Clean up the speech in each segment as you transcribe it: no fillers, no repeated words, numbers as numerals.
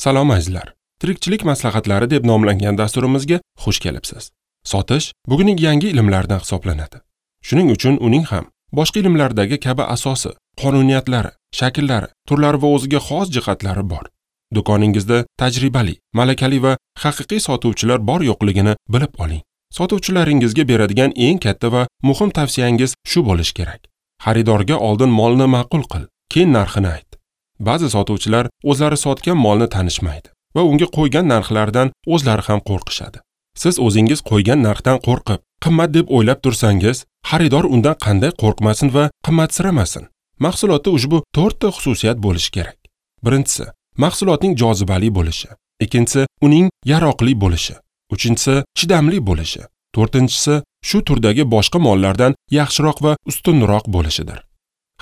Salom azizlar. Tirikchilik maslahatlari deb nomlangan dasturimizga xush kelibsiz. Sotish bugunning yangi ilmlaridan hisoblanadi. Shuning uchun uning ham boshqa ilmlardagi kabi asosi, qonuniyatlari, shakllari, turlari va o'ziga xos jihatlari bor. Do'koningizda tajribali, malakali va haqiqiy sotuvchilar bor yo'qligini bilib oling. Sotuvchilaringizga beradigan eng katta va muhim tavsiyangiz shu bo'lishi kerak. Xaridorga oldin molni ma'qul qil, keyin narxini ayt. Ba'zi sotuvchilar o'zlari sotgan molni tanishmaydi va unga qo'ygan narxlardan o'zlari ham qo'rqishadi. Siz o'zingiz qo'ygan narxdan qo'rqib, qimmat deb o'ylab tursangiz, xaridor undan qanday qo'rqmasin va qimmatsiramasin. Mahsulotda ushbu 4 ta xususiyat bo'lishi kerak. Birinchisi, mahsulotning jozibali bo'lishi. Ikkinchisi, uning yaroqli bo'lishi. Uchinchisi, chidamli bo'lishi. To'rtinchisi, shu turdagi boshqa mollardan yaxshiroq va ustunroq bo'lishidir.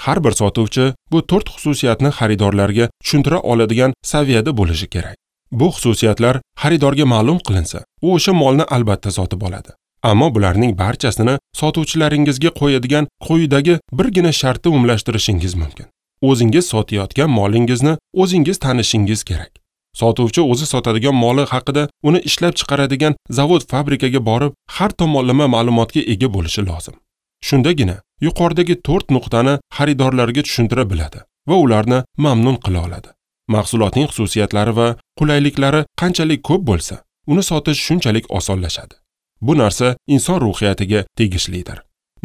Har bir sotuvchi bu 4 xususiyatni xaridorlarga tushuntira oladigan saviyada bo'lishi kerak. Bu xususiyatlar xaridorga ma'lum qilinsa, u o'sha molni albatta sotib oladi. Ammo bularning barchasini sotuvchilaringizga qo'yadigan quyidagi birgina shartni umumlashtirishingiz mumkin. O'zingiz sotayotgan molingizni o'zingiz tanishingiz kerak. Sotuvchi o'zi sotadigan moli haqida uni ishlab chiqaradigan zavod fabrikaga borib, har tomonlama ma'lumotga ega bo'lishi lozim. Shundagina yuqoridagi 4 nuqtani xaridorlarga tushuntira biladi va ularni mamnun qila oladi. Mahsulotning xususiyatlari va qulayliklari qanchalik ko'p bo'lsa, uni sotish shunchalik osonlashadi. Bu narsa inson ruhiyatiga tegishlidir.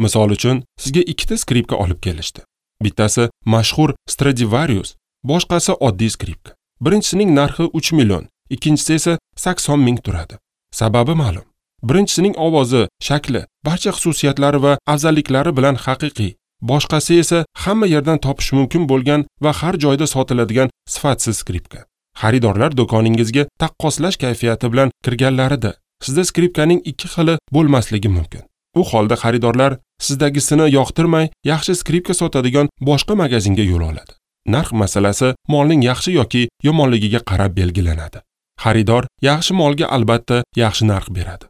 Misol uchun, sizga ikkita skripka olib kelishdi. Bittasi mashhur Stradivarius, boshqasi oddiy skripka. Birinchisining narxi 3 million, ikkinchisi esa 80 ming turadi. Sababi ma'lum. Birinchisining ovozi, shakli, barcha xususiyatlari va afzalliklari bilan haqiqiy. Boshqasi esa hamma yerdan topish mumkin bo'lgan va har joyda sotiladigan sifatsiz skripka. Xaridorlar do'koningizga taqqoslash kayfiyati bilan kirganlarida sizda skripkaning ikki xili bo'lmasligi mumkin. U holda xaridorlar sizdagisini yoqtirmay, yaxshi skripka sotadigan boshqa magazinga yo'l oladi. Narx masalasi molning yaxshi yoki yomonligiga qarab belgilanadi. Xaridor yaxshi molga albatta yaxshi narx beradi.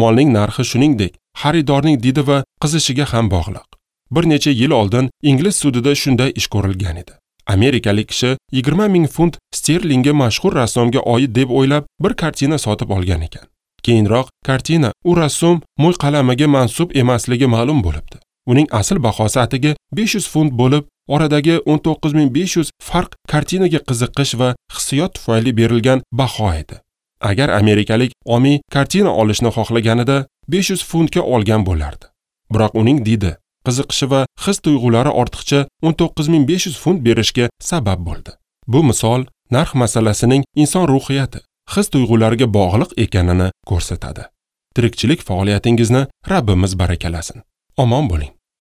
Molning narxi shuningdek xaridorning didi va qizishiga ham bog'liq. Bir necha yil oldin ingliz sudida shunday ish ko'rilgan edi. Amerikalik kishi 20 ming funt sterlingga mashhur rassomga oid deb o'ylab bir kartina sotib olgan ekan. Keyinroq kartina u rassom mo'yqalamiga mansub emasligi ma'lum bo'libdi. Uning asl bahosi atigi 500 funt bo'lib, oradagi 19500 farq kartinaga qiziqish va hissiyot tufayli berilgan baho edi. Agar amerikalik omiy kartina olishni xohlaganida 500 funtga olgan bo'lardi. Biroq uning didi, qiziqishi va his tuyg'ulari ortiqcha 19500 funt berishga sabab bo'ldi. Bu misol narx masalasining inson ruhiyati, his tuyg'ulariga bog'liq ekanini ko'rsatadi. Tirikchilik faoliyatingizni Rabbimiz barakalasin. Omon bo'ling.